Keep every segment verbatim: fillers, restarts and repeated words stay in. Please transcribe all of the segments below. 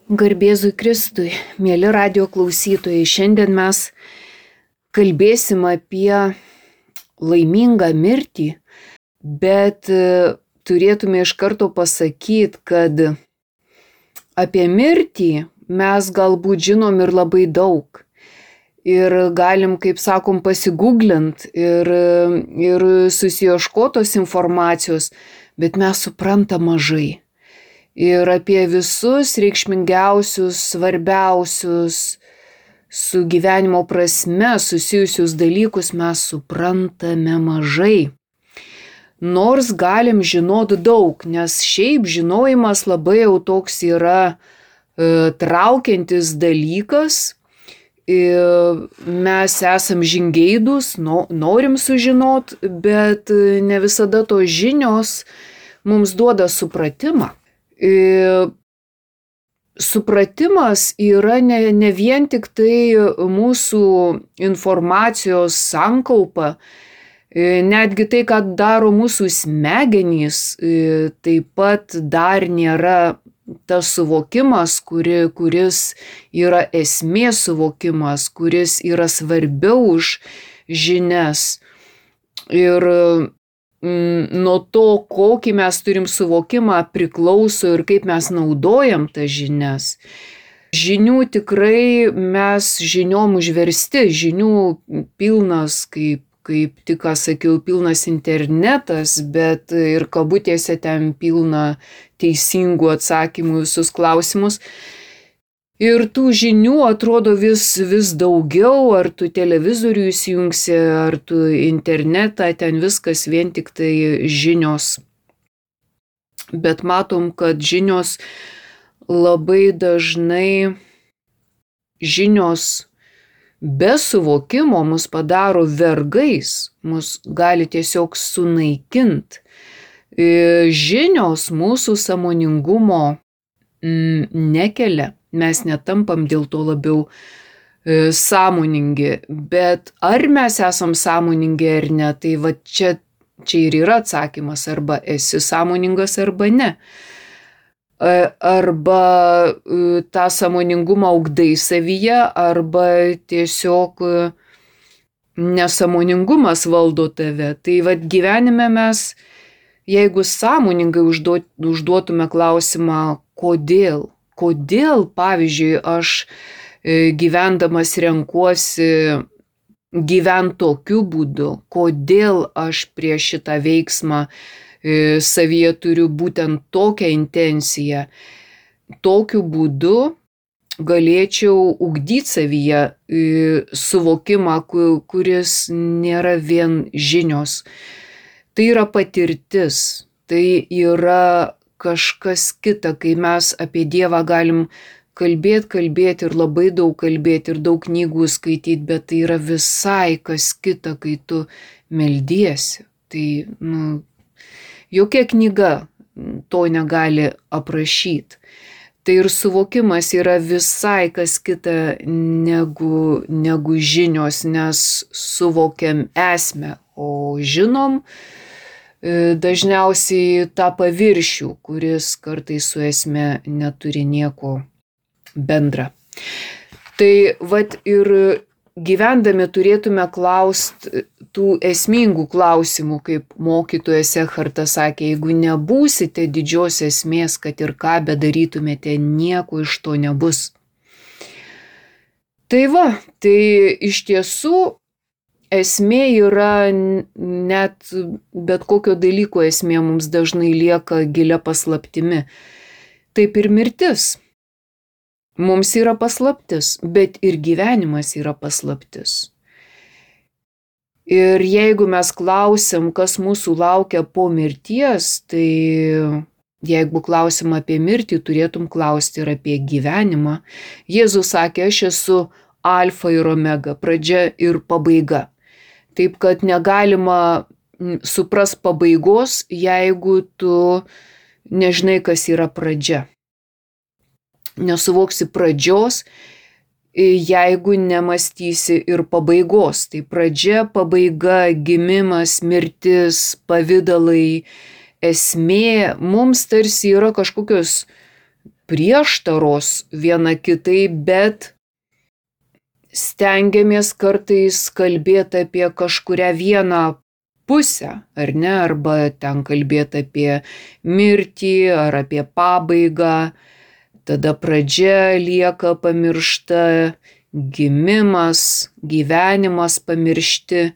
Garbėzui Kristui, mėly radio klausytojai, šiandien mes kalbėsim apie laimingą mirtį, bet turėtume iš karto pasakyti, kad apie mirtį mes galbūt žinom ir labai daug. Ir galim, kaip sakom, pasigūglint ir, ir susiieškotos informacijos, bet mes suprantam mažai. Ir apie visus reikšmingiausius, svarbiausius su gyvenimo prasme susijusius dalykus mes suprantame mažai. Nors galim žinot daug, nes šiaip žinojimas labai jau toks yra e, traukiantis dalykas. E, mes esam žingeidūs, no, norim sužinot, bet ne visada tos žinios mums duoda supratimą. E, supratimas yra ne, ne vien tik tai mūsų informacijos sankaupa, e, netgi tai, ką daro mūsų smegenys, e, taip pat dar nėra tas suvokimas, kuri, kuris yra esmės suvokimas, kuris yra svarbiau už žinias. Ir nuo to, kokį mes turim suvokimą, priklauso ir kaip mes naudojam tas žinias. Žinių tikrai mes žiniom užversti, žinių pilnas, kaip, kaip tik ką sakiau, pilnas internetas, bet ir kabutėse ten pilna teisingų atsakymų visus klausimus. Ir tų žinių atrodo vis, vis daugiau, ar tu televizorių įsijungsi, ar tu internetą, ten viskas vien tik tai žinios. Bet matom, kad žinios labai dažnai, žinios be suvokimo mus padaro vergais, mus gali tiesiog sunaikinti. Žinios mūsų sąmoningumo nekelia. Mes netampam dėl to labiau e, sąmoningi, bet ar mes esam sąmoningi ar ne, tai va čia, čia ir yra atsakymas, arba esi sąmoningas arba ne. E, arba e, tą sąmoningumą ugdai savyje, arba tiesiog e, nesąmoningumas valdo tave. Tai va gyvenime mes, jeigu sąmoningai užduot, užduotume klausimą, kodėl? Kodėl, pavyzdžiui, aš gyvendamas renkuosi gyventi tokiu būdu, kodėl aš prieš šitą veiksmą savyje turiu būtent tokią intenciją. Tokiu būdu galėčiau ugdyti savyje suvokimą, kuris nėra vien žinios. Tai yra patirtis, tai yra kažkas kita, kai mes apie Dievą galim kalbėti, kalbėti ir labai daug kalbėti ir daug knygų skaityti, bet tai yra visai kas kita, kai tu meldiesi. Tai, nu, jokia knyga to negali aprašyti. Tai ir suvokimas yra visai kas kita negu, negu žinios, nes suvokiam esmę, o žinom dažniausiai tą paviršių, kuris kartais su esme neturi nieko bendra. Tai vat ir gyvendami turėtume klausti tų esmingų klausimų, kaip mokytojas Ekhartas sakė, jeigu nebūsite didžios esmės, kad ir ką bedarytumėte, nieko iš to nebus. Tai va, tai iš tiesų esmė yra net bet kokio dalyko esmė mums dažnai lieka gilia paslaptimi. Taip ir mirtis. Mums yra paslaptis, bet ir gyvenimas yra paslaptis. Ir jeigu mes klausim, kas mūsų laukia po mirties, tai jeigu klausim apie mirtį, turėtum klausti ir apie gyvenimą. Jėzus sakė, aš esu alfa ir omega, pradžia ir pabaiga. Taip, kad negalima supras pabaigos, jeigu tu nežinai, kas yra pradžia. Nesuvoksi pradžios, jeigu nemastysi ir pabaigos. Tai pradžia, pabaiga, gimimas, mirtis, pavidalai, esmė mums tarsi yra kažkokios prieštaros viena kitai, bet stengiamės kartais kalbėti apie kažkurią vieną pusę, ar ne, arba ten kalbėti apie mirtį ar apie pabaigą, tada pradžia lieka pamiršta, gimimas, gyvenimas pamiršti,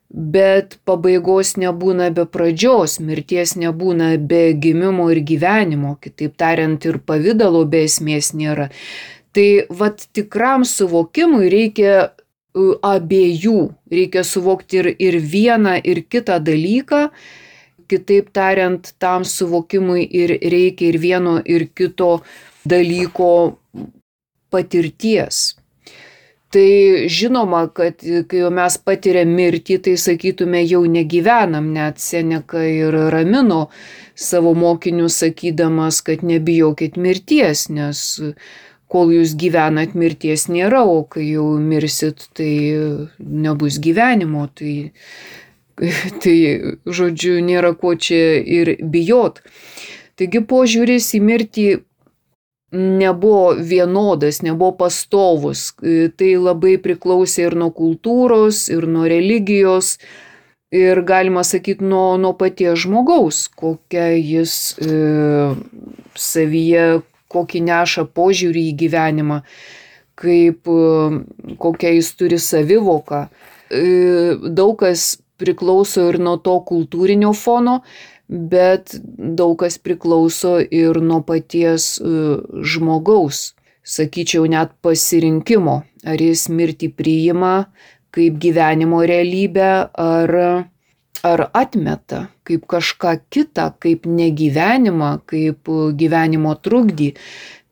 bet pabaigos nebūna be pradžios, mirties nebūna be gimimo ir gyvenimo, kitaip tariant, ir pavidalo be esmės nėra. Tai vat tikram suvokimui reikia abiejų, reikia suvokti ir, ir vieną, ir kitą dalyką, kitaip tariant, tam suvokimui ir reikia ir vieno, ir kito dalyko patirties. Tai žinoma, kad kai jau mes patiriam mirtį, tai sakytume, jau negyvenam, net Seneka ir ramino savo mokinius sakydamas, kad nebijokit mirties, nes kol jūs gyvenat, mirties nėra, o kai jau mirsit, tai nebus gyvenimo, tai, tai žodžiu, nėra ko čia ir bijot. Taigi požiūris į mirtį nebuvo vienodas, nebuvo pastovus. Tai labai priklausė ir nuo kultūros, ir nuo religijos, ir galima sakyti nuo, nuo paties žmogaus, kokią jis e, savyje, kokį neša požiūrį į gyvenimą, kaip e, kokią jis turi savivoką. E, daug kas priklauso ir nuo to kultūrinio fono, bet daug kas priklauso ir nuo paties žmogaus, sakyčiau, net pasirinkimo, ar jis mirtį priima kaip gyvenimo realybę, ar, ar atmeta kaip kažką kitą, kaip negyvenimą, kaip gyvenimo trukdį.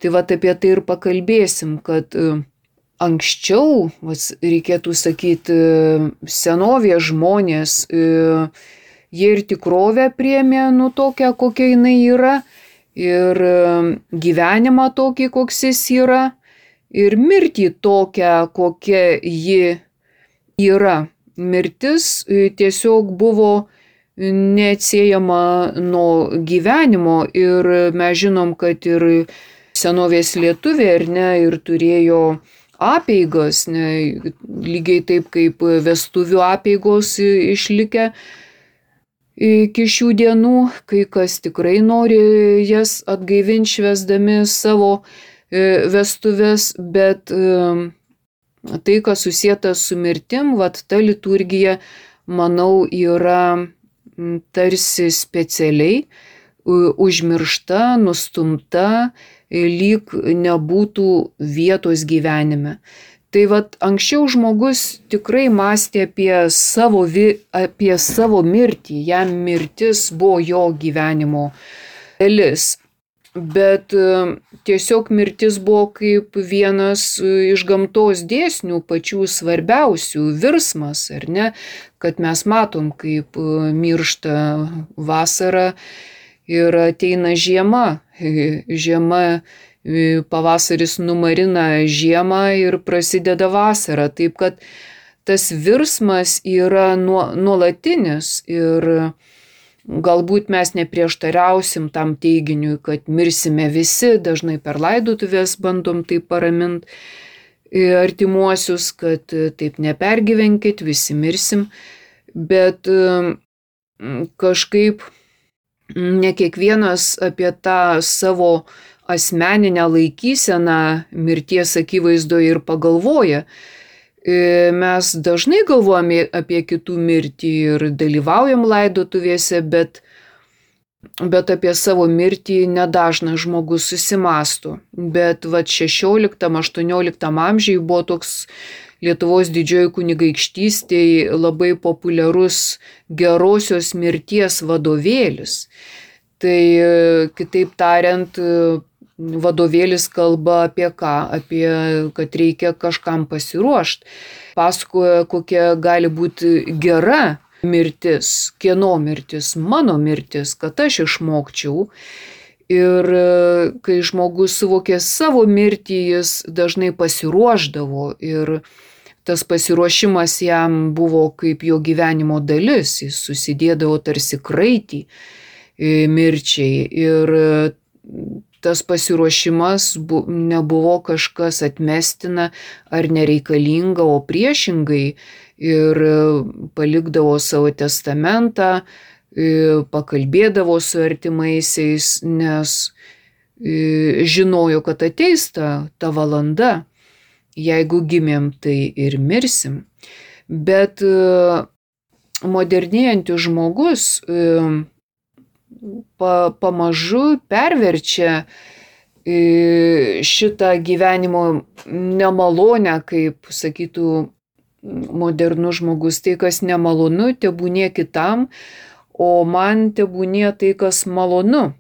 Tai vat apie tai ir pakalbėsim, kad anksčiau, vas, reikėtų sakyti, senovės žmonės, jie ir tikrovę priėmė nu tokią, kokia jinai yra, ir gyvenimą tokį, koks jis yra, ir mirtį tokią, kokia ji yra. Mirtis tiesiog buvo neatsiejama nuo gyvenimo, ir mes žinom, kad ir senovės lietuviai, ar ne, ir turėjo apeigas, ne, lygiai taip kaip vestuvių apeigos išlikę iki šių dienų, kai kas tikrai nori jas atgaivinti švęsdami savo vestuves, bet tai, kas susieta su mirtim, vat ta liturgija, manau, yra tarsi specialiai užmiršta, nustumta, lyg nebūtų vietos gyvenime. Tai vat anksčiau žmogus tikrai mąstė apie savo, apie savo mirtį, jam mirtis buvo jo gyvenimo dalis. Bet tiesiog mirtis buvo kaip vienas iš gamtos dėsnių, pačių svarbiausių, virsmas, ar ne, kad mes matom, kaip miršta vasara ir ateina žiema, žiema, pavasaris numarina žiemą ir prasideda vasara. Taip kad tas virsmas yra nuolatinis ir galbūt mes neprieštariausim tam teiginiui, kad mirsime visi, dažnai per laidotuvės bandom taip paraminti artimuosius, kad taip nepergyvenkit, visi mirsim, bet kažkaip ne kiekvienas apie tą savo asmeninę laikyseną mirties akivaizdoje ir pagalvoja. Mes dažnai galvojame apie kitų mirtį ir dalyvaujam laidotuvėse, bet, bet apie savo mirtį nedažnas žmogus susimąsto. Bet vat šešioliktam aštuonioliktam amžiui buvo toks Lietuvos didžioji kunigaikštystėje labai populiarus gerosios mirties vadovėlis. Tai kitaip tariant, vadovėlis kalba apie ką? Apie, kad reikia kažkam pasiruošti. Pasakoja, kokia gali būti gera mirtis, kieno mirtis, mano mirtis, kad aš išmokčiau. Ir kai žmogus suvokė savo mirtį, jis dažnai pasiruošdavo ir tas pasiruošimas jam buvo kaip jo gyvenimo dalis, jis susidėdavo tarsi kraitį mirčiai ir tas pasiruošimas bu, nebuvo kažkas atmestina ar nereikalinga, o priešingai ir palikdavo savo testamentą, pakalbėdavo su artimaisiais, nes žinojo, kad ateis ta, ta valanda, jeigu gimėm, tai ir mirsim. Bet modernėjantis žmogus pa, pamažu perverčia šitą gyvenimo nemalonę, kaip sakytų modernus žmogus, tai kas nemalonu, tebūnie kitam, o man tebūnie tai, kas malonu.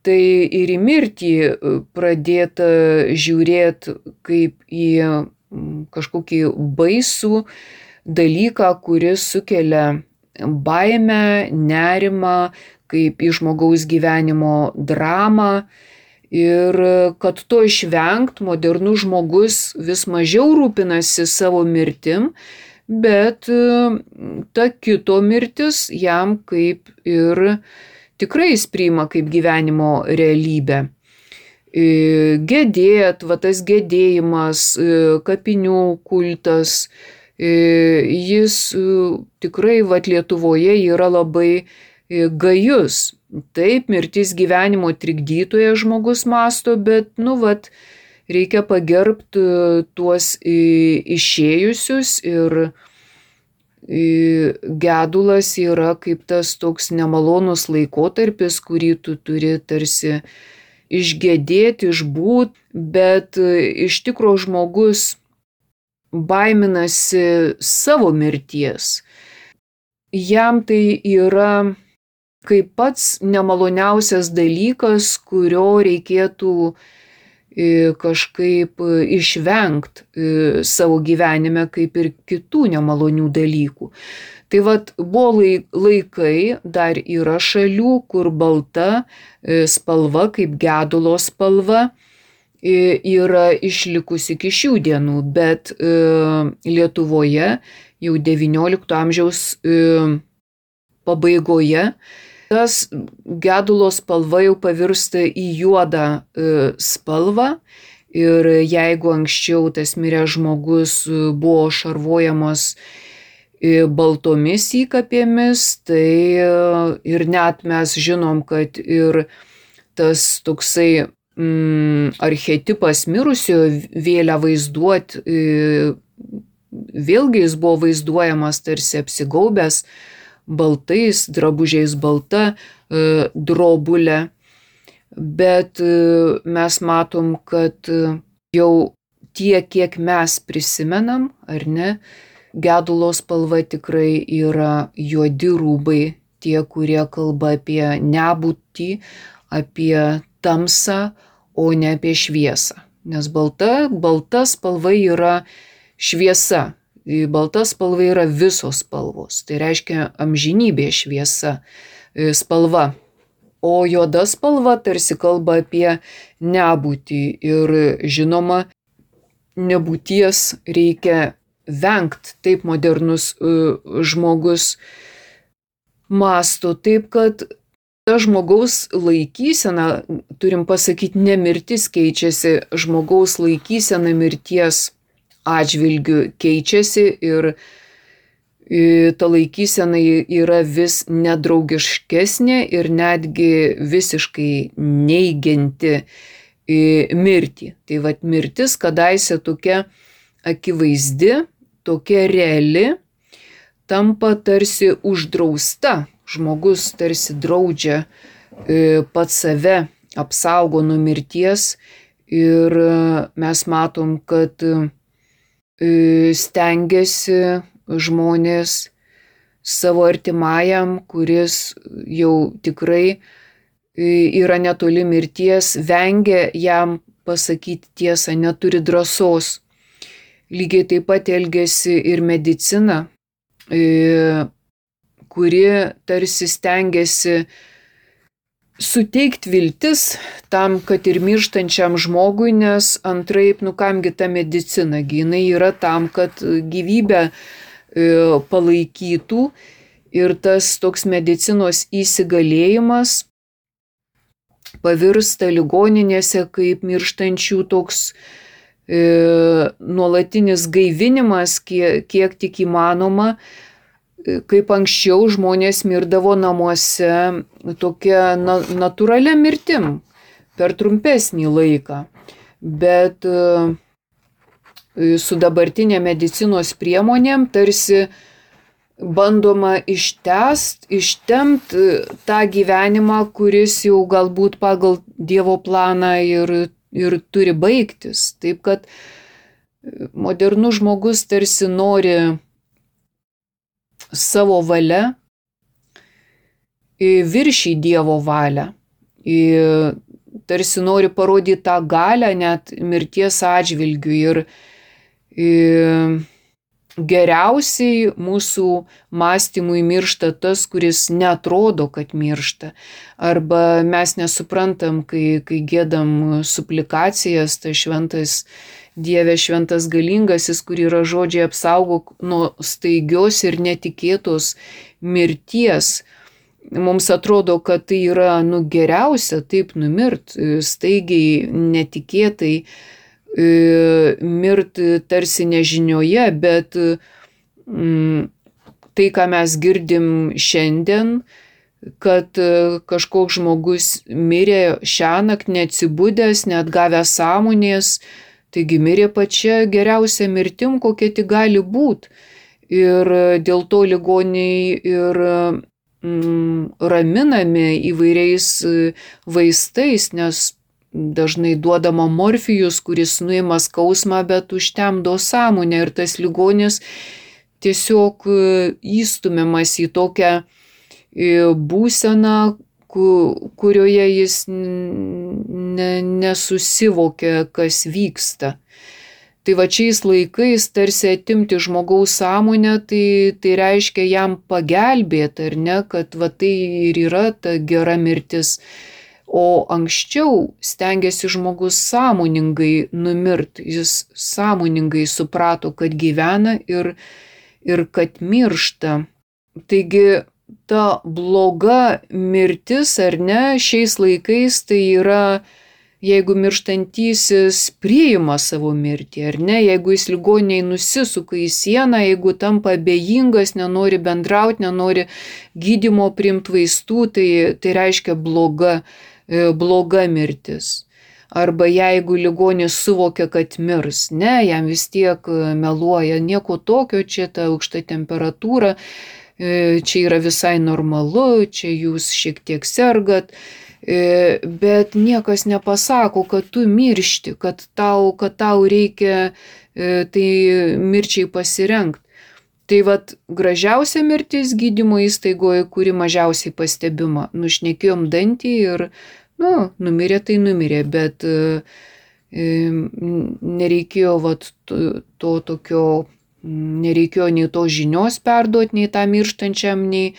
Tai ir į mirtį pradėta žiūrėti kaip į kažkokį baisų dalyką, kuris sukelia baimę, nerimą, kaip į žmogaus gyvenimo dramą. Ir kad to išvengt, modernus žmogus vis mažiau rūpinasi savo mirtim, bet ta kito mirtis jam kaip ir tikrai jis priima kaip gyvenimo realybę. Gedėt, va tas gedėjimas, kapinių kultas, jis tikrai va Lietuvoje yra labai gajus. Taip, mirtis gyvenimo trikdytoje žmogus masto, bet, nu, vat, reikia pagerbti tuos išėjusius ir gedulas yra kaip tas toks nemalonus laikotarpis, kurį tu turi tarsi išgedėti, išbūt, bet iš tikro žmogus baiminasi savo mirties. Jam tai yra kaip pats nemaloniausias dalykas, kurio reikėtų kažkaip išvengt savo gyvenime, kaip ir kitų nemalonių dalykų. Tai vat buvo laikai, dar yra šalių, kur balta spalva, kaip gedulo spalva, yra išlikusi iki šių dienų, bet Lietuvoje jau devyniolikto amžiaus pabaigoje tas gedulo spalva jau pavirsta į juodą spalvą ir jeigu anksčiau tas miręs žmogus buvo šarvojamas baltomis įkapėmis, tai ir net mes žinom, kad ir tas toksai mm, archetipas mirusiojo vėlę vaizduot, vėlgi jis buvo vaizduojamas tarsi apsigaubęs baltais drabužiais, balta drobulė, bet mes matom, kad jau tiek, kiek mes prisimenam, ar ne, gedulo spalva tikrai yra juodi rūbai, tie, kurie kalba apie nebūtį, apie tamsą, o ne apie šviesą. Nes balta, balta spalva yra šviesa. Balta spalva yra visos spalvos, tai reiškia amžinybė šviesa spalva. O juoda spalva tarsi kalba apie nebūtį ir žinoma, nebūties reikia vengt, taip modernus žmogus masto, taip kad ta žmogaus laikysena, turim pasakyti, ne mirtis keičiasi, žmogaus laikysena mirties atžvilgiu keičiasi ir ta laikysena yra vis nedraugiškesnė ir netgi visiškai neigianti mirtį. Tai vat mirtis kadaise tokia akivaizdi, tokia reali, tampa tarsi uždrausta. Žmogus tarsi draudžia pats save, apsaugo nuo mirties ir mes matom, kad stengiasi žmonės savo artimajam, kuris jau tikrai yra netoli mirties, vengia jam pasakyti tiesą, neturi drąsos. Lygiai taip pat elgiasi ir medicina, kuri tarsi stengiasi suteikti viltis tam, kad ir mirštančiam žmogui, nes antraip, nu kamgi ta medicina, jinai yra tam, kad gyvybę palaikytų ir tas toks medicinos įsigalėjimas pavirsta ligoninėse kaip mirštančių toks e, nuolatinis gaivinimas, kiek, kiek tik įmanoma. Kaip anksčiau žmonės mirdavo namuose tokia na, natūralia mirtim per trumpesnį laiką. Bet e, su dabartinė medicinos priemonėm tarsi bandoma ištęst, ištemt tą gyvenimą, kuris jau galbūt pagal Dievo planą ir, ir turi baigtis. Taip kad modernus žmogus tarsi nori savo valia viršį Dievo valią. Tarsi nori parodyti tą galią net mirties atžvilgių. Ir, ir geriausiai mūsų mąstymui miršta tas, kuris netrodo, kad miršta. Arba mes nesuprantam, kai, kai gėdam suplikacijas, tai šventas Dieve, šventas galingasis, kur yra žodžiai apsaugok nuo staigios ir netikėtos mirties. Mums atrodo, kad tai yra nu, geriausia taip numirt, staigiai, netikėtai, mirti tarsi nežinioje, bet mm, tai, ką mes girdim šiandien, kad kažkoks žmogus mirė šiąnakt neatsibudęs, net gavęs sąmonės, taigi mirė pačia geriausia mirtim, kokia tik gali būti. Ir dėl to ligoniai ir mm, raminami įvairiais vaistais, nes dažnai duodama morfijus, kuris nuima skausmą, bet užtemdo sąmonę ir tas ligonis tiesiog įstumiamas į tokią būseną, kurioje jis ne, nesusivokia, kas vyksta. Tai va šiais laikais tarsi atimti žmogaus sąmonę, tai, tai reiškia jam pagelbėti, ar ne, kad va tai ir yra ta gera mirtis. O anksčiau stengiasi žmogus sąmoningai numirt, jis sąmoningai suprato, kad gyvena ir, ir kad miršta. Taigi ta bloga mirtis, ar ne, šiais laikais tai yra, jeigu mirštantysis priima savo mirtį, ar ne, jeigu jis ligoniai nusisuka į sieną, jeigu tampa abejingas, nenori bendrauti, nenori gydymo priimti vaistų, tai, tai reiškia bloga bloga mirtis. Arba jeigu ligonis suvokia, kad mirs, ne, jam vis tiek meluoja, nieko tokio, čia ta aukšta temperatūra, čia yra visai normalu, čia jūs šiek tiek sergat, bet niekas nepasako, kad tu miršti, kad tau, kad tau reikia tai mirčiai pasirengti. Tai vat gražiausia mirtis gydymo įstaigoje, kuri mažiausiai pastebima. Nušnekėjom dantį ir, nu, numirė tai numirė, bet e, nereikėjo vat to, to tokio, nereikėjo nei to žinios perduoti, nei tą mirštančiam, nei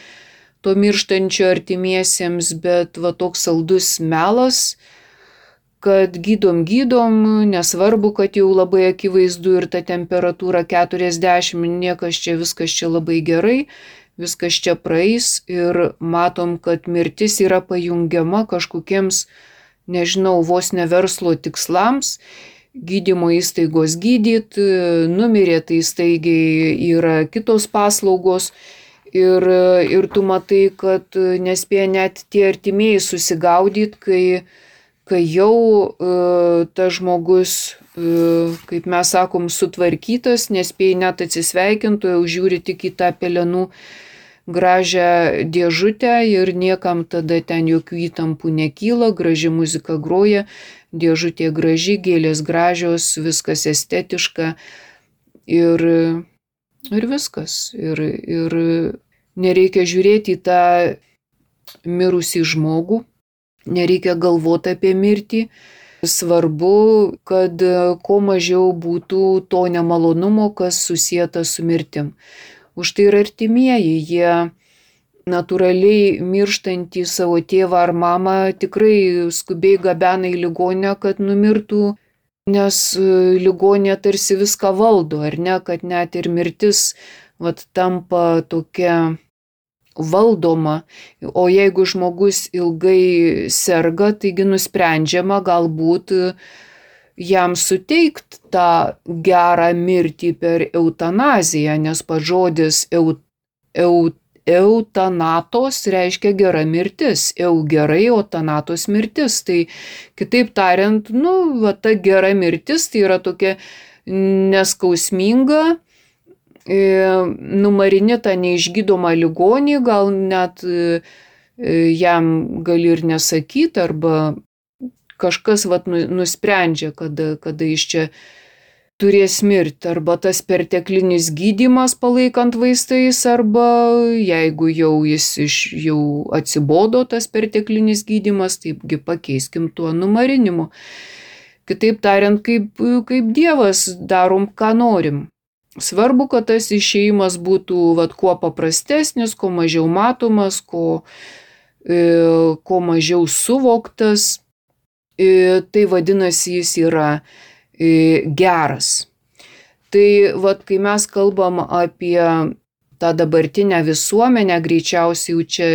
to mirštančio artimiesiems, bet va toks saldus melas, kad gydom, gydom, nesvarbu, kad jau labai akivaizdu ir ta temperatūra keturiasdešimt, niekas čia, viskas čia labai gerai, viskas čia praeis ir matom, kad mirtis yra pajungiama kažkokiems, nežinau, vos ne verslo tikslams, gydymo įstaigos gydyt, numirė tai staigiai yra kitos paslaugos ir, ir tu matai, kad nespėja net tie artimieji susigaudyti, kai kai jau uh, tas žmogus, uh, kaip mes sakom, sutvarkytas, nespėja net atsisveikinti, jau žiūri tik į tą pelenų gražią dėžutę ir niekam tada ten jokių įtampų nekyla, graži muzika groja, dėžutė graži, gėlės gražios, viskas estetiška ir, ir viskas. Ir, ir nereikia žiūrėti į tą mirusį žmogų, nereikia galvoti apie mirtį. Svarbu, kad kuo mažiau būtų to nemalonumo, kas susieta su mirtim. Už tai ir artimieji, jie natūraliai mirštantį savo tėvą ar mamą tikrai skubiai gabena į ligoninę, kad numirtų, nes ligoninė tarsi viską valdo, ar ne, kad net ir mirtis vat, tampa tokia valdoma, o jeigu žmogus ilgai serga, taigi nusprendžiama galbūt jam suteikti tą gerą mirtį per eutanaziją, nes pats žodis eu, eu, eutanatos reiškia gera mirtis, eu gerai, o tanatos mirtis. Tai kitaip tariant, nu, va, ta gera mirtis tai yra tokia neskausminga, numarini tą neišgydomą ligonį, gal net jam gali ir nesakyti, arba kažkas vat, nusprendžia, kada, kada jis čia turės mirti, arba tas perteklinis gydymas palaikant vaistais, arba jeigu jau jis iš, jau atsibodo tas perteklinis gydymas, taipgi pakeiskim tuo numarinimu. Kitaip tariant, kaip, kaip Dievas darom, ką norim. Svarbu, kad tas išėjimas būtų vat, kuo paprastesnis, kuo mažiau matomas, kuo, e, kuo mažiau suvoktas. E, tai vadinasi, jis yra e, geras. Tai vat, kai mes kalbam apie tą dabartinę visuomenę, greičiausiai jau čia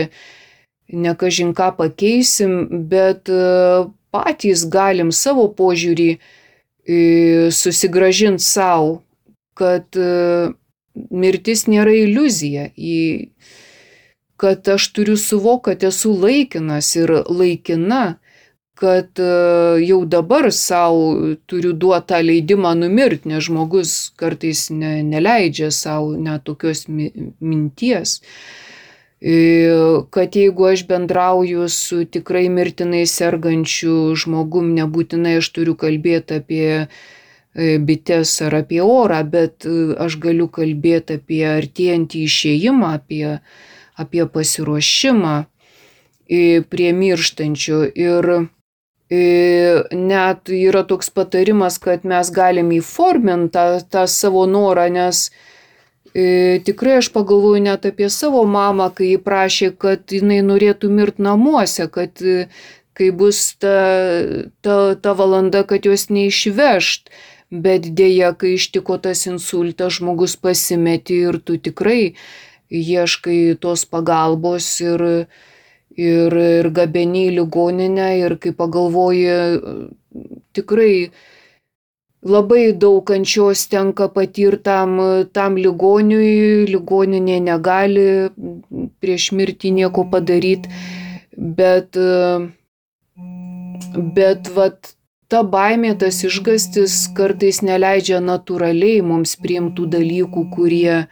ne kažin ką pakeisim, bet e, patys galim savo požiūrį e, susigrąžinti savo, kad mirtis nėra iliuzija, kad aš turiu suvokti, kad esu laikinas ir laikina, kad jau dabar savo turiu duoti tą leidimą numirti, nes žmogus kartais ne, neleidžia savo net tokios minties. Kad jeigu aš bendrauju su tikrai mirtinai sergančiu žmogum, nebūtinai aš turiu kalbėti apie bites ar apie orą, bet aš galiu kalbėti apie artėjantį išėjimą, apie, apie pasiruošimą prie mirštančio. Ir net yra toks patarimas, kad mes galim įforminti tą, tą savo norą, nes tikrai aš pagalvoju net apie savo mamą, kai ji prašė, kad jinai norėtų mirti namuose, kad kai bus ta, ta, ta valanda, kad jos neišvežt. Bet dėja, kai ištiko tas insultas, žmogus pasimeti ir tu tikrai ieškai tos pagalbos ir, ir, ir gabeni į ligoninę, ir kai pagalvoji, tikrai labai daug kančios tenka patirti tam, tam ligoniui, ligoninė negali prieš mirtį nieko padaryti, bet, bet vat, ta baimė, tas išgąstis kartais neleidžia natūraliai mums priimtų dalykų, kurie,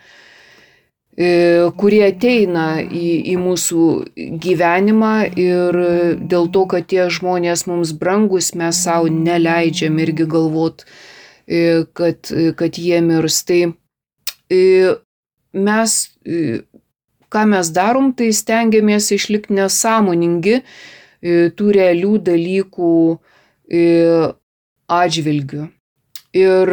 kurie ateina į, į mūsų gyvenimą, ir dėl to, kad tie žmonės mums brangus, mes savo neleidžiam irgi galvot, kad, kad jie mirs. Tai mes, ką mes darom, tai stengiamės išlikti nesąmoningi tų realių dalykų atžvilgių. Ir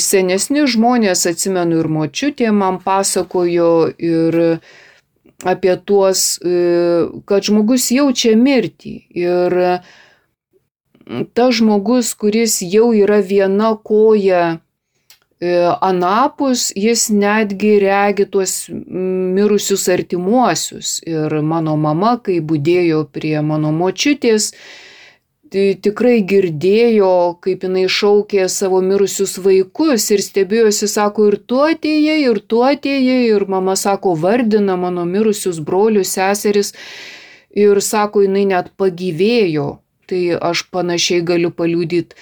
senesni žmonės, atsimenu, ir močiutė man pasakojo ir apie tuos, kad žmogus jaučia mirtį. Ir tas žmogus, kuris jau yra viena koja anapus, jis netgi regi tuos mirusius artimuosius. Ir mano mama, kai budėjo prie mano močiutės, tai tikrai girdėjo, kaip jinai šaukė savo mirusius vaikus ir stebėjosi, sako, ir tu atėjai, ir tu atėjai, ir mama, sako, vardina mano mirusius brolius, seseris, ir sako, jinai net pagyvėjo. Tai aš panašiai galiu paliudyti.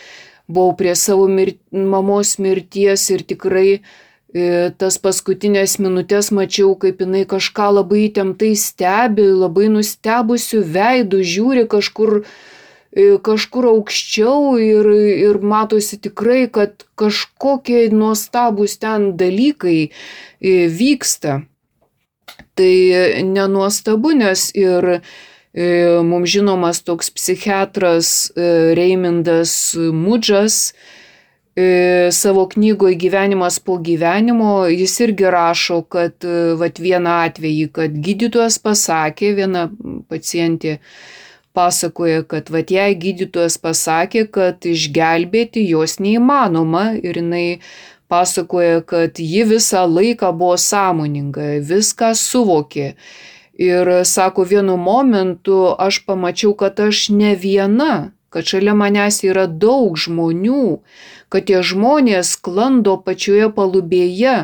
Buvau prie savo mir, mamos mirties ir tikrai e, tas paskutinės minutės mačiau, kaip jinai kažką labai įtemptai stebi, labai nustebusių veidų, žiūri kažkur, e, kažkur aukščiau ir, ir matosi tikrai, kad kažkokie nuostabūs ten dalykai e, vyksta. Tai nenuostabu, nes ir mums žinomas toks psichiatras Reimindas Mudžas savo knygoje Gyvenimas po gyvenimo, jis irgi rašo, kad vat vieną atvejį, kad gydytojas pasakė, viena pacientė pasakoja, kad vat jai gydytojas pasakė, kad išgelbėti jos neįmanoma, ir jinai pasakoja, kad ji visą laiką buvo sąmoninga, viską suvokė. Ir sako, vienu momentu aš pamačiau, kad aš ne viena, kad šalia manęs yra daug žmonių, kad tie žmonės sklando pačioje palubėje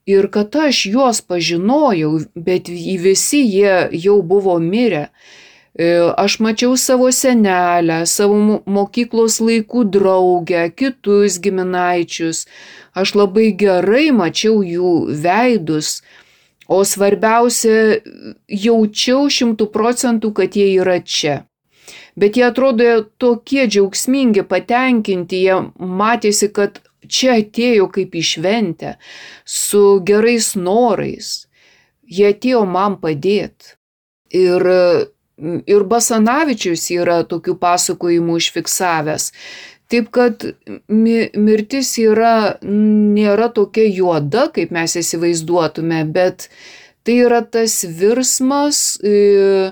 ir kad aš juos pažinojau, bet visi jie jau buvo mirę. Aš mačiau savo senelę, savo mokyklos laikų draugę, kitus giminaičius. Aš labai gerai mačiau jų veidus, o svarbiausia, jaučiau šimtų procentų, kad jie yra čia. Bet jie atrodo tokie džiaugsmingi, patenkinti, jie matėsi, kad čia atėjo kaip į šventę, su gerais norais. Jie atėjo man padėti. Ir, ir Basanavičius yra tokių pasakojimų užfiksavęs. Taip kad mirtis yra, nėra tokia juoda, kaip mes įsivaizduotume, bet tai yra tas virsmas e,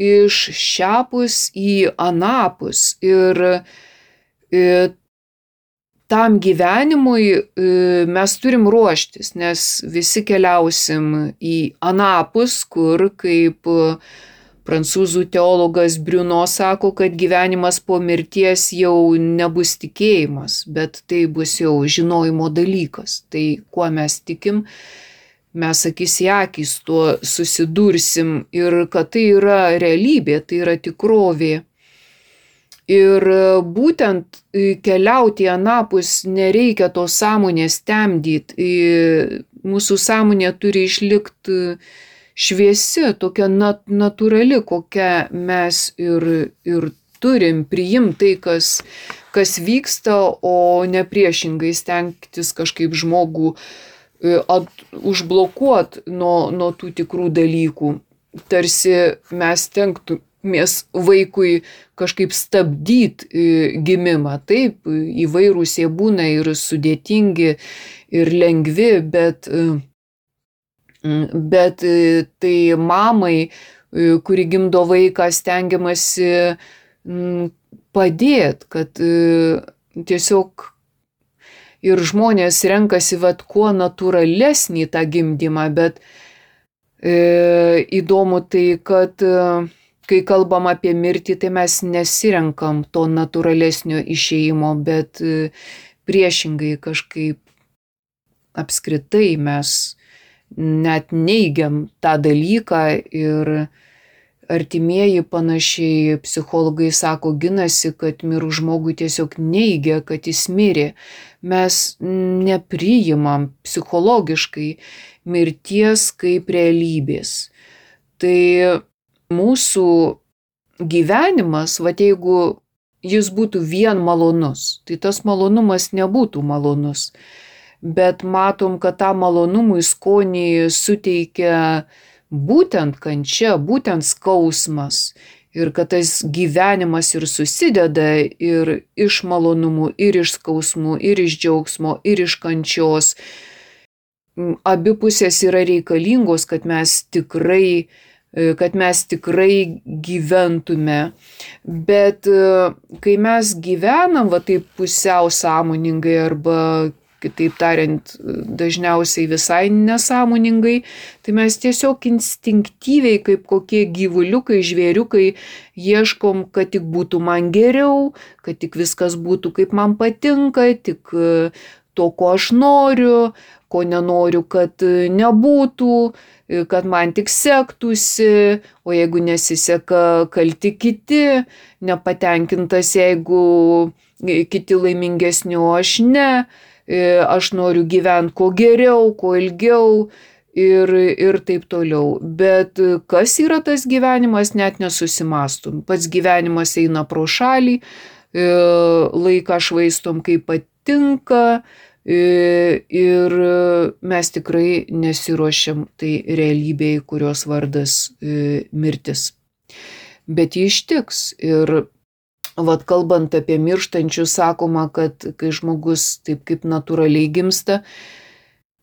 iš šiapus į anapus. Ir e, tam gyvenimui e, mes turim ruoštis, nes visi keliausim į anapus, kur kaip prancūzų teologas Bruno sako, kad gyvenimas po mirties jau nebus tikėjimas, bet tai bus jau žinojimo dalykas. Tai kuo mes tikim, mes akis į akis tuo susidursim ir kad tai yra realybė, tai yra tikrovė. Ir būtent keliauti į anapus nereikia tos sąmonės temdyti. Mūsų sąmonė turi išlikti šviesi, tokia nat- natūrali, kokia mes ir, ir turim priimti tai, kas, kas vyksta, o ne priešingai stengtis kažkaip žmogų at, užblokuoti nuo, nuo tų tikrų dalykų. Tarsi mes stengtumės vaikui kažkaip stabdyti gimimą. Taip, įvairūs jie būna ir sudėtingi, ir lengvi, bet Bet tai mamai, kuri gimdo vaiką, stengiamasi padėti, kad tiesiog ir žmonės renkasi vat kuo natūralesnį tą gimdymą, bet e, įdomu tai, kad kai kalbam apie mirtį, tai mes nesirenkam to natūralesnio išėjimo, bet priešingai kažkaip apskritai mes net neigiam tą dalyką ir artimieji panašiai psichologai sako, ginasi, kad mirus žmogui tiesiog neigia, kad jis mirė. Mes nepriimam psichologiškai mirties kaip realybės. Tai mūsų gyvenimas, va jeigu jis būtų vien malonus, tai tas malonumas nebūtų malonus. Bet matom, kad tą malonumui skonį suteikia būtent kančia, būtent skausmas. Ir kad tas gyvenimas ir susideda ir iš malonumų, ir iš skausmų, ir iš džiaugsmo, ir iš kančios. Abi pusės yra reikalingos, kad mes tikrai, kad mes tikrai gyventume. Bet kai mes gyvenam va taip pusiau sąmoningai arba kitaip tariant, dažniausiai visai nesąmoningai, tai mes tiesiog instinktyviai, kaip kokie gyvuliukai, žvėriukai, ieškom, kad tik būtų man geriau, kad tik viskas būtų kaip man patinka, tik to, ko aš noriu, ko nenoriu, kad nebūtų, kad man tik sektųsi, o jeigu nesiseka, kalti kiti, nepatenkintas, jeigu kiti laimingesni, o aš ne. Aš noriu gyventi kuo geriau, kuo ilgiau ir, ir taip toliau. Bet kas yra tas gyvenimas, net nesusimastum. Pats gyvenimas eina pro šalį, laiką švaistom kaip patinka ir mes tikrai nesiruošiam tai realybei, kurios vardas mirtis. Bet ji ištiks ir vat kalbant apie mirštančius, sakoma, kad kai žmogus taip kaip natūraliai gimsta,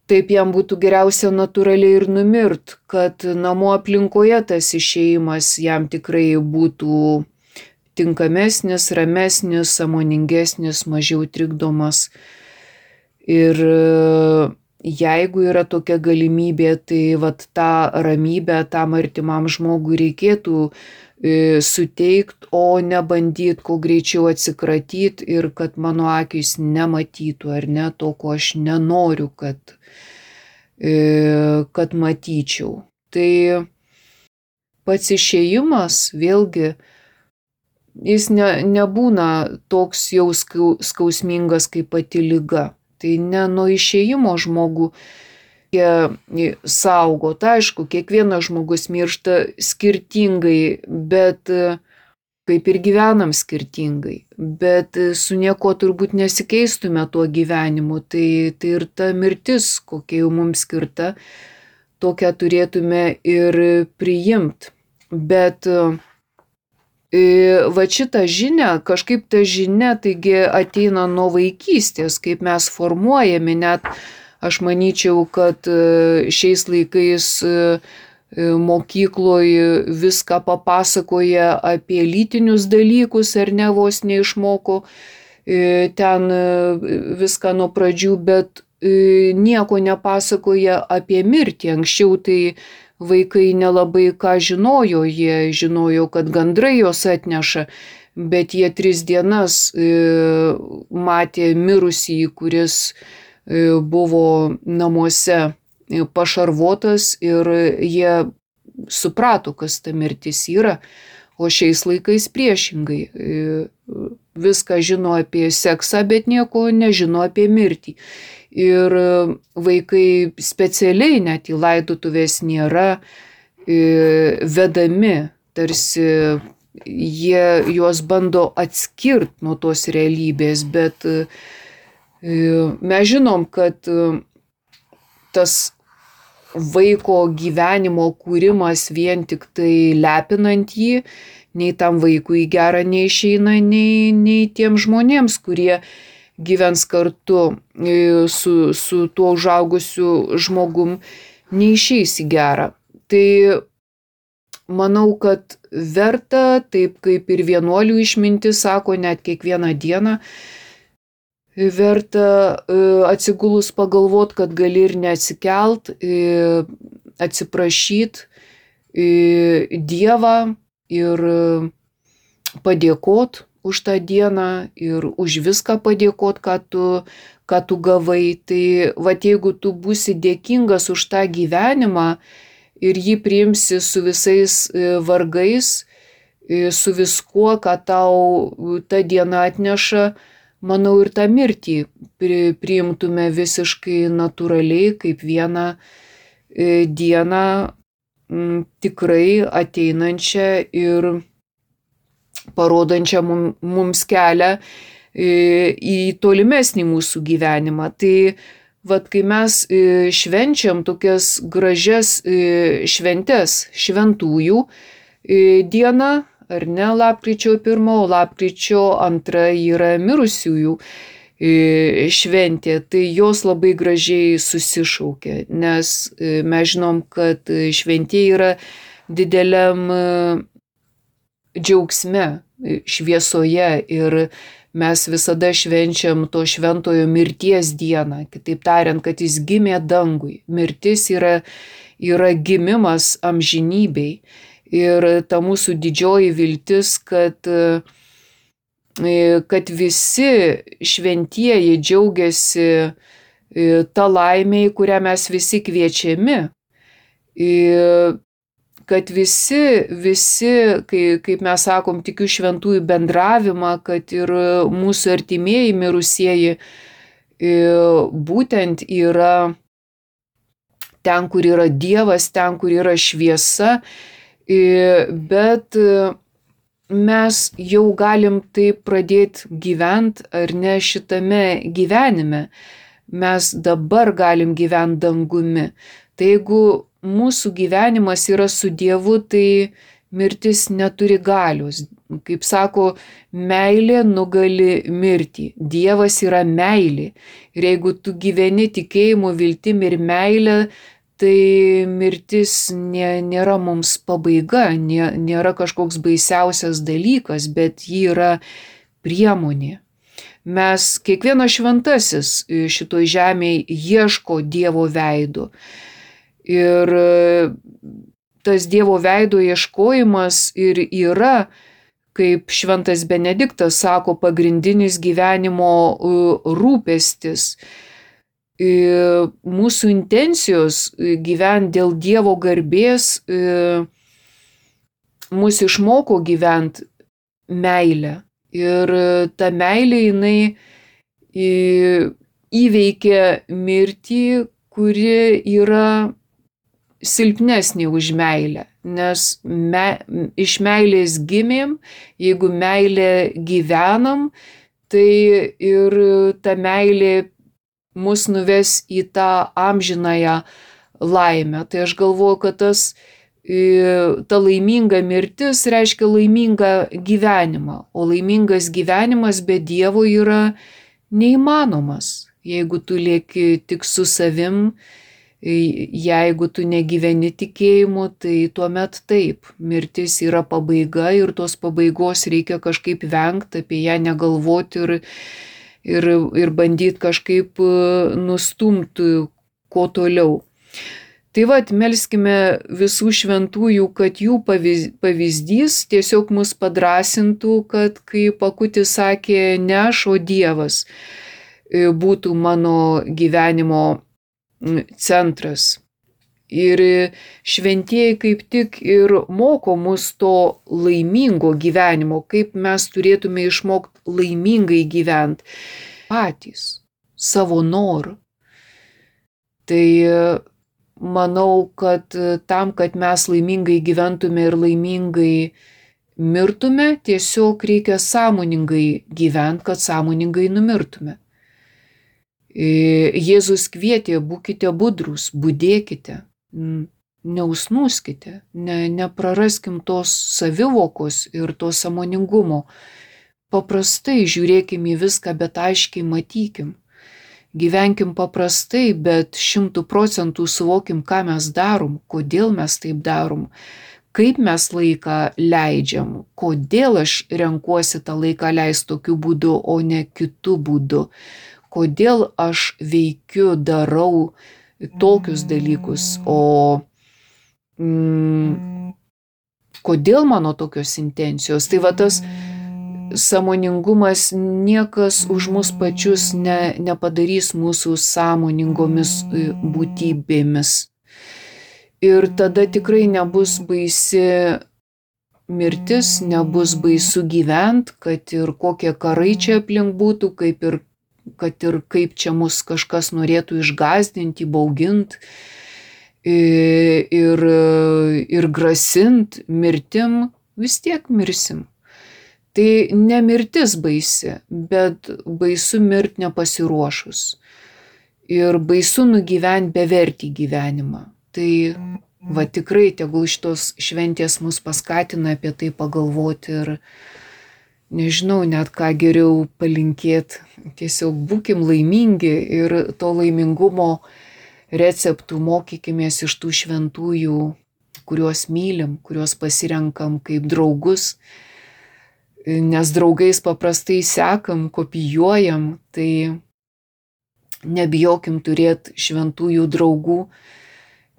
taip jam būtų geriausia natūraliai ir numirt, kad namų aplinkoje tas išėjimas jam tikrai būtų tinkamesnis, ramesnis, sąmoningesnis, mažiau trikdomas. Ir jeigu yra tokia galimybė, tai vat tą ramybę tam artimam žmogui reikėtų suteikti, o ne bandyti kuo greičiau atsikratyti ir kad mano akys nematytų ar ne to, ko aš nenoriu, kad, kad matyčiau. Tai pats išėjimas vėlgi, jis ne, nebūna toks jau skausmingas kaip pati liga. Tai ne nuo išėjimo žmogų saugo. Tai aišku, kiekvienas žmogus miršta skirtingai, bet kaip ir gyvenam skirtingai. Bet su nieko turbūt nesikeistume tuo gyvenimu. Tai, tai ir ta mirtis, kokia jau mums skirta, tokią turėtume ir priimti. Bet va šitą žinią, kažkaip ta žinia taigi ateina nuo vaikystės, kaip mes formuojami, net aš manyčiau, kad šiais laikais mokykloje viską papasakoja apie lytinius dalykus, ar ne, vos neišmoko ten viską nuo pradžių, bet nieko nepasakoja apie mirtį. Anksčiau tai vaikai nelabai ką žinojo, jie žinojo, kad gandrai jos atneša, bet jie tris dienas matė mirusį, kuris buvo namuose pašarvotas ir jie suprato, kas ta mirtis yra, o šiais laikais priešingai. Viską žino apie seksą, bet nieko nežino apie mirtį. Ir vaikai specialiai net į laidotuvės nėra vedami, tarsi jie juos bando atskirti nuo tos realybės, bet mes žinom, kad tas vaiko gyvenimo kūrimas vien tik tai lepinant jį, nei tam vaikui gera neišeina, nei, nei tiem žmonėms, kurie gyvens kartu su, su tuo užaugusiu žmogum, neišeis į gerą. Tai manau, kad verta, taip kaip ir vienuolių išmintis sako, net kiekvieną dieną, verta atsigulus pagalvot, kad gali ir neatsikelt, atsiprašyt Dievą ir padėkot už tą dieną ir už viską padėkot, ką tu, ką tu gavai. Tai vat jeigu tu būsi dėkingas už tą gyvenimą ir jį priimsi su visais vargais, su viskuo, ką tau ta diena atneša, manau, ir tą mirtį priimtume visiškai natūraliai, kaip vieną dieną tikrai ateinančią ir parodančią mums kelią į tolimesnį mūsų gyvenimą. Tai vat kai mes švenčiam tokias gražias šventes, šventųjų diena, ar ne, lapkričio pirma, o lapkričio antra yra mirusiųjų šventė, tai jos labai gražiai susišaukia, nes mes žinom, kad šventė yra dideliam džiaugsme, šviesoje ir mes visada švenčiam to šventojo mirties dieną, kitaip tariant, kad jis gimė dangui. Mirtis yra, yra gimimas amžinybei ir ta mūsų didžioji viltis, kad kad visi šventieji džiaugiasi tą laimę, į kurią mes visi kviečiami, kad visi, visi, kai, kaip mes sakom, tikiu šventųjų bendravimą, kad ir mūsų artimieji mirusieji būtent yra ten, kur yra Dievas, ten, kur yra šviesa, bet mes jau galim taip pradėti gyventi ar ne šitame gyvenime. Mes dabar galim gyventi dangumi. Tai jeigu mūsų gyvenimas yra su Dievu, tai mirtis neturi galios. Kaip sako, meilė nugali mirtį. Dievas yra meilė. Ir jeigu tu gyveni tikėjimu, viltim ir meilė, tai mirtis nė, nėra mums pabaiga, nė, nėra kažkoks baisiausias dalykas, bet ji yra priemonė. Mes, kiekvienas šventasis šitoj žemėje ieško Dievo veido. Ir tas Dievo veido ieškojimas ir yra, kaip šventas Benediktas sako, pagrindinis gyvenimo rūpestis. Mūsų intencijos gyventi dėl Dievo garbės mus išmoko gyventi meilę. Ir ta meilė jinai įveikia mirtį, kuri yra silpnesnė už meilę. Nes me, iš meilės gimėm, jeigu meilė gyvenam, tai ir ta meilė mus nuves į tą amžinąją laimę. Tai aš galvoju, kad tas, ta laiminga mirtis reiškia laimingą gyvenimą, o laimingas gyvenimas be Dievo yra neįmanomas. Jeigu tu lieki tik su savim, jeigu tu negyveni tikėjimu, tai tuomet taip, mirtis yra pabaiga ir tos pabaigos reikia kažkaip vengti, apie ją negalvoti ir, ir, ir bandyti kažkaip nustumti kuo toliau. Tai vat, melskime visų šventųjų, kad jų pavyzdys tiesiog mus padrasintų, kad, kaip Akutis sakė, ne aš, o Dievas būtų mano gyvenimo centras. Ir šventieji kaip tik ir moko mus to laimingo gyvenimo, kaip mes turėtume išmokti laimingai gyventi patys, savo noru. Tai manau, kad tam, kad mes laimingai gyventume ir laimingai mirtume, tiesiog reikia sąmoningai gyventi, kad sąmoningai numirtume. Jėzus kvietė, būkite budrūs, budėkite, neusnūskite, ne, nepraraskim tos savivokos ir to sąmoningumo. Paprastai žiūrėkim į viską, bet aiškiai matykim. Gyvenkim paprastai, bet šimtų procentų suvokim, ką mes darom, kodėl mes taip darom, kaip mes laiką leidžiam, kodėl aš renkuosi tą laiką leisti tokiu būdu, o ne kitu būdu. Kodėl aš veikiu, darau tokius dalykus, o mm, kodėl mano tokios intencijos. Tai va tas sąmoningumas, niekas už mus pačius ne, nepadarys mūsų sąmoningomis būtybėmis. Ir tada tikrai nebus baisi mirtis, nebus baisu gyvent, kad ir kokie karai čia aplink būtų, kaip ir kad ir kaip čia mus kažkas norėtų išgąsdinti, bauginti ir, ir grasint mirtim, vis tiek mirsim. Tai ne mirtis baisi, bet baisu mirti nepasiruošus. Ir baisu nugyventi bevertį gyvenimą. Tai va tikrai tegul šitos šventės mus paskatina apie tai pagalvoti ir nežinau net ką geriau palinkėti. Tiesiog būkim laimingi ir to laimingumo receptų mokykimės iš tų šventųjų, kuriuos mylim, kuriuos pasirenkam kaip draugus. Nes draugais paprastai sekam, kopijuojam, tai nebijokim turėti šventųjų draugų,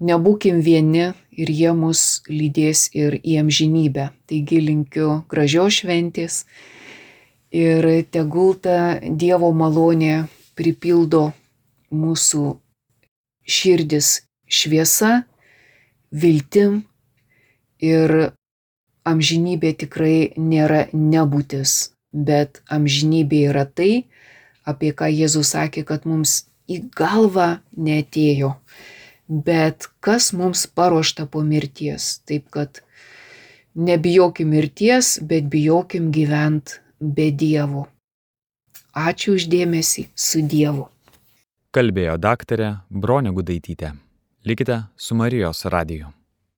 nebūkim vieni ir jie mus lydės ir į amžinybę. Taigi linkiu gražios šventės ir tegul ta Dievo malonė pripildo mūsų širdis šviesa, viltim ir amžinybė tikrai nėra nebūtis, bet amžinybė yra tai, apie ką Jėzus sakė, kad mums į galvą neatėjo. Bet kas mums paruošta po mirties. Taip kad nebijokim mirties, bet bijokim gyvent be Dievo. Ačiū už dėmesį, su Dievu. Kalbėjo daktarė Bronė Gudaitytė. Likite su Marijos radiju.